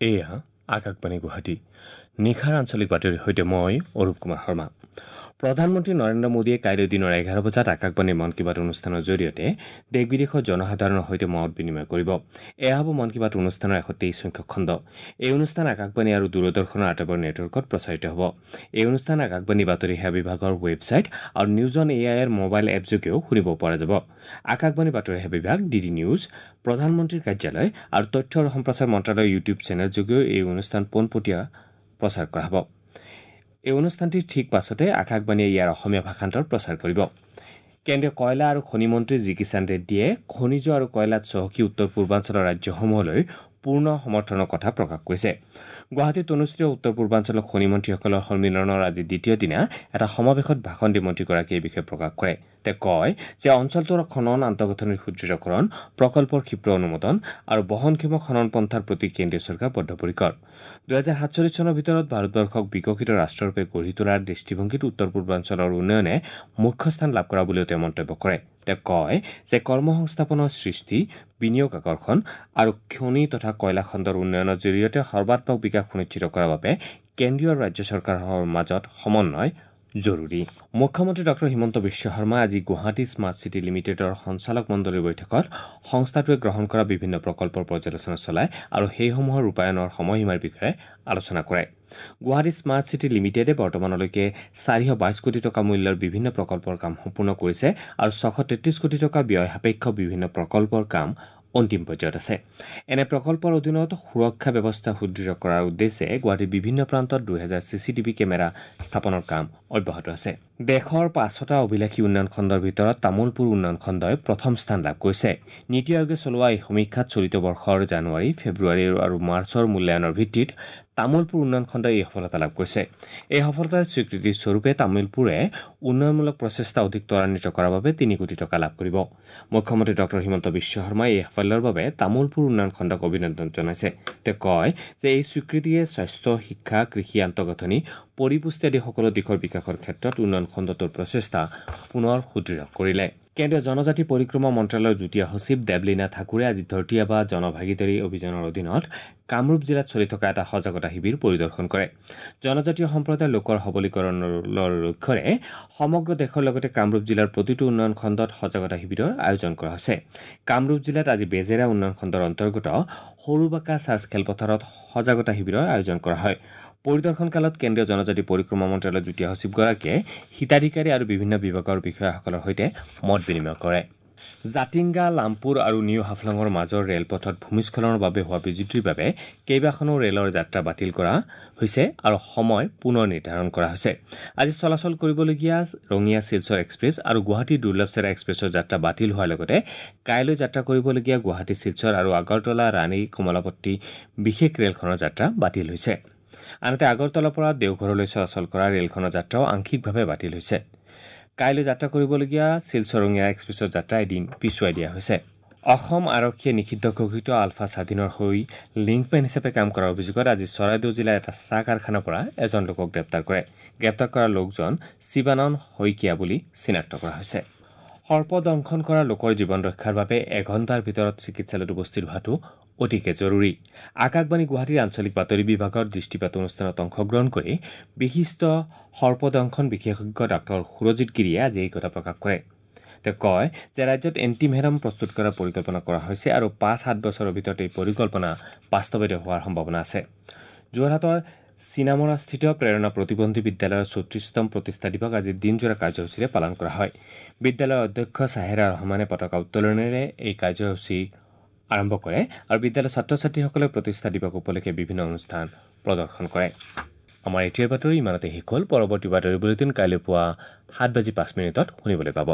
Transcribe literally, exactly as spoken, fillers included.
এয়া আকাশবাণী গুৱাহাটী। নিশাৰ আঞ্চলিক বাতৰিৰ সৈতে মই অৰূপ কুমাৰ শৰ্মা। প্ৰধানমন্ত্ৰী নৰেন্দ্ৰ মোদীয়ে কাইলৈ দিনৰ এঘাৰ বজাত আকাশবাণীৰ মন কী বাত অনুষ্ঠানৰ জৰিয়তে দেশ বিদেশৰ জনসাধাৰণৰ সৈতে মত বিনিময় কৰিব। এয়া হ'ব মন কী বাত অনুষ্ঠানৰ এশ তেইছ সংখ্যক খণ্ড। এই অনুষ্ঠান আকাশবাণী আৰু দূৰদৰ্শনৰ আটাইবোৰ নেটৱৰ্কত প্ৰচাৰিত হ'ব। এই অনুষ্ঠান আকাশবাণী বাতৰি সেৱা বিভাগৰ ৱেবছাইট আৰু নিউজ অন এ আইৰ মোবাইল এপ যোগেও শুনিব পৰা যাব। আকাশবাণী বাতৰি সেৱা বিভাগ, ডি ডি নিউজ, প্ৰধানমন্ত্ৰীৰ কাৰ্যালয় আৰু তথ্য আৰু সম্প্ৰচাৰ মন্ত্ৰালয়ৰ ইউটিউব চেনেল যোগেও এই অনুষ্ঠান পোনপটীয়া প্ৰচাৰ কৰা হ'ব। এই অনুষ্ঠানটিৰ ঠিক পাছতে আকাশবাণীয়ে ইয়াৰ অসমীয়া ভাষান্তৰ প্ৰচাৰ কৰিব। কেন্দ্ৰীয় কয়লা আৰু খনি মন্ত্ৰী জি কিষাণ ৰেড্ডীয়ে খনিজ আৰু কয়লাত চহকী উত্তৰ পূৰ্বাঞ্চলৰ ৰাজ্যসমূহলৈ পূৰ্ণ সমৰ্থনৰ কথা প্ৰকাশ কৰিছে। গুৱাহাটীত অনুষ্ঠিত উত্তৰ পূৰ্বাঞ্চলৰ খনি মন্ত্ৰীসকলৰ সন্মিলনৰ আজি দ্বিতীয় দিনা এটা সমাৱেশত ভাষণ দি মন্ত্ৰীগৰাকীয়ে এই বিষয়ে প্ৰকাশ কৰে। তেওঁ কয় যে অঞ্চলটোৰ খনন আন্তঃগাঁথনিৰ সুদৃঢ়কৰণ, প্ৰকল্পৰ ক্ষীপ্ৰ অনুমোদন আৰু বহনক্ষম খনন পন্থাৰ প্ৰতি কেন্দ্ৰীয় চৰকাৰ বদ্ধপৰিকৰ। দুহেজাৰ সাতচল্লিছ চনৰ ভিতৰত ভাৰতবৰ্ষক বিকশিত ৰাষ্ট্ৰৰূপে গঢ়ি তোলাৰ দৃষ্টিভংগীত উত্তৰ পূৰ্বাঞ্চলৰ উন্নয়নে মুখ্য স্থান লাভ কৰা বুলিও তেওঁ মন্তব্য কৰে। তেওঁ কয় যে কৰ্মসংস্থাপনৰ সৃষ্টি, বিনিয়োগ আকৰ্ষণ আৰু খনি তথা কয়লা খণ্ডৰ উন্নয়নৰ জৰিয়তে সৰ্বাত্মক বিকাশ সুনিশ্চিত কৰাৰ বাবে কেন্দ্ৰীয় আৰু ৰাজ্য চৰকাৰৰ মাজত সমন্বয় জৰুৰী। মুখ্যমন্ত্ৰী ডক্টৰ হিমন্ত বিশ্ব শৰ্মা আজি গুৱাহাটী স্মাৰ্ট চিটি লিমিটেডৰ সঞ্চালক মণ্ডলীৰ বৈঠকত সংস্থাটোৱে গ্ৰহণ কৰা বিভিন্ন প্ৰকল্পৰ পৰ্যালোচনা চলায় আৰু সেইসমূহৰ ৰূপায়ণৰ সময়সীমাৰ বিষয়ে আলোচনা কৰে। গুৱাহাটী স্মাৰ্ট চিটি লিমিটেডে বৰ্তমানলৈকে চাৰিশ বাইছ কোটি টকা মূল্যৰ বিভিন্ন প্ৰকল্পৰ কাম সম্পূৰ্ণ কৰিছে আৰু ছশ তেত্ৰিছ কোটি টকা ব্যয় সাপেক্ষ বিভিন্ন প্ৰকল্পৰ কাম অন্তিম পৰ্যায়ত আছে। এনে প্ৰকল্পৰ অধীনত সুৰক্ষা ব্যৱস্থা সুদৃঢ় কৰাৰ উদ্দেশ্যে গুৱাহাটীৰ বিভিন্ন প্ৰান্তত দুহেজাৰ চি চি টিভি কেমেৰা স্থাপনৰ কাম অব্যাহত আছে। দেশৰ পাঁচটা অভিলাষী উন্নয়ন খণ্ডৰ ভিতৰত তামোলপুৰ উন্নয়ন খণ্ডই প্ৰথম স্থান লাভ কৰিছে। নীতি আয়োগে চলোৱা এই সমীক্ষাত চলিত বৰ্ষৰ জানুৱাৰী, ফেব্ৰুৱাৰী আৰু মাৰ্চৰ মূল্যায়নৰ ভিত্তিত তামোলপুৰ উন্নয়ন খণ্ডই এই সফলতা লাভ কৰিছে। এই সফলতাৰ স্বীকৃতি স্বৰূপে তামোলপুৰে উন্নয়নমূলক প্ৰচেষ্টা অধিক ত্বৰান্বিত কৰাৰ বাবে তিনি কোটি টকা লাভ কৰিব। মুখ্যমন্ত্ৰী ডক্টৰ হিমন্ত বিশ্ব শৰ্মাই এই সাফল্যৰ বাবে তামোলপুৰ উন্নয়ন খণ্ডক অভিনন্দন জনাইছে। তেওঁ কয় যে এই স্বীকৃতিয়ে স্বাস্থ্য, শিক্ষা, কৃষি আন্তঃগাঁথনি, পৰিপুষ্টি আদি সকলো দিশৰ বিকাশৰ ক্ষেত্ৰত উন্নয়ন খণ্ডটোৰ প্ৰচেষ্টা পুনৰ সুদৃঢ় কৰিলে। কেন্দ্ৰীয় জনজাতি পৰিক্ৰমা মন্ত্ৰালয়ৰ যুটীয়া সচিব দেৱলীনা ঠাকুৰে আজি ধৰতীয়াবা জনভাগিদাৰী অভিযানৰ অধীনত কামৰূপ জিলাত চলি থকা এটা সজাগতা শিবিৰ পৰিদৰ্শন কৰে। জনজাতীয় সম্প্ৰদায়ৰ লোকৰ সবলীকৰণৰ লক্ষ্যৰে সমগ্ৰ দেশৰ লগতে কামৰূপ জিলাৰ প্ৰতিটো উন্নয়ন খণ্ডত সজাগতা শিবিৰৰ আয়োজন কৰা হৈছে। কামৰূপ জিলাত আজি বেজেৰা উন্নয়ন খণ্ডৰ অন্তৰ্গত সৰুবাকা চাৰ্চ খেলপথাৰত সজাগতা শিবিৰৰ আয়োজন কৰা হয়। পৰিদৰ্শনকালত কেন্দ্ৰীয় জনজাতি পৰিক্ৰমা মন্ত্ৰালয়ৰ যুটীয়া সচিবগৰাকীয়ে হিতাধিকাৰী আৰু বিভিন্ন বিভাগৰ বিষয়াসকলৰ সৈতে মত বিনিময় কৰে। জাতিংগা, লামপুৰ আৰু নিউ হাফলঙৰ মাজৰ ৰেলপথত ভূমিস্খলনৰ বাবে হোৱা বিজুতিৰ বাবে কেইবাখনো ৰেলৰ যাত্ৰা বাতিল কৰা হৈছে আৰু সময় পুনৰ নিৰ্ধাৰণ কৰা হৈছে। আজি চলাচল কৰিবলগীয়া ৰঙিয়া শিলচৰ এক্সপ্ৰেছ আৰু গুৱাহাটী দুৰ্লভচেৰা এক্সপ্ৰেছৰ যাত্ৰা বাতিল হোৱাৰ লগতে কাইলৈ যাত্ৰা কৰিবলগীয়া গুৱাহাটী শিলচৰ আৰু আগৰতলা ৰাণী কমলাপট্টি বিশেষ ৰেলখনৰ যাত্ৰা বাতিল হৈছে। আনহাতে আগৰতলাৰ পৰা দেওঘৰলৈ চলাচল কৰা ৰেলখনৰ যাত্ৰাও আংশিকভাৱে বাতিল হৈছে। কাইলৈ যাত্ৰা কৰিবলগীয়া শিলচৰ ৰঙিয়া এক্সপ্ৰেছৰ যাত্ৰা এদিন পিছুৱাই দিয়া হৈছে। অসম আৰক্ষীয়ে নিষিদ্ধ ঘোষিত আলফা স্বাধীনৰ হৈ লিংকমেন হিচাপে কাম কৰাৰ অভিযোগত আজি চৰাইদেউ জিলাৰ এটা চাহ কাৰখানাৰ পৰা এজন লোকক গ্ৰেপ্তাৰ কৰে। গ্ৰেপ্তাৰ কৰা লোকজন শিৱানন্দ শইকীয়া বুলি চিনাক্ত কৰা হৈছে। সৰ্পদংশন কৰা লোকৰ জীৱন ৰক্ষাৰ বাবে এঘণ্টাৰ ভিতৰত চিকিৎসালয়ত উপস্থিত হোৱাটো অতিকে জৰুৰী। আকাশবাণী গুৱাহাটীৰ আঞ্চলিক বাতৰি বিভাগৰ দৃষ্টিপাত অনুষ্ঠানত অংশগ্ৰহণ কৰি বিশিষ্ট সৰ্পদংশন বিশেষজ্ঞ ডাক্তৰ সুৰজিৎ গিৰিয়ে আজি এই কথা প্ৰকাশ কৰে। তেওঁ কয় যে ৰাজ্যত এণ্টিভেনম প্ৰস্তুত কৰাৰ পৰিকল্পনা কৰা হৈছে আৰু পাঁচ সাত বছৰৰ ভিতৰত এই পৰিকল্পনা বাস্তৱায়িত হোৱাৰ সম্ভাৱনা আছে। যোৰহাটৰ চিনামৰাস্থিত প্ৰেৰণা প্ৰতিবন্ধী বিদ্যালয়ৰ চৌত্ৰিশতম প্ৰতিষ্ঠা দিৱস আজি দিনজোৰা কাৰ্যসূচীৰে পালন কৰা হয়। বিদ্যালয়ৰ অধ্যক্ষ চাহেৰা ৰহমানে পতাকা উত্তোলনেৰে এই কাৰ্যসূচী আৰম্ভ কৰে আৰু বিদ্যালয়ৰ ছাত্ৰ ছাত্ৰীসকলে প্ৰতিষ্ঠা দিৱস উপলক্ষে বিভিন্ন অনুষ্ঠান প্ৰদৰ্শন কৰে। আমাৰ এতিয়াৰ বাতৰি ইমানতে শেষ হ'ল। পৰৱৰ্তী বাতৰি বুলেটিন কাইলৈ পুৱা সাত বাজি পাঁচ মিনিটত শুনিবলৈ পাব।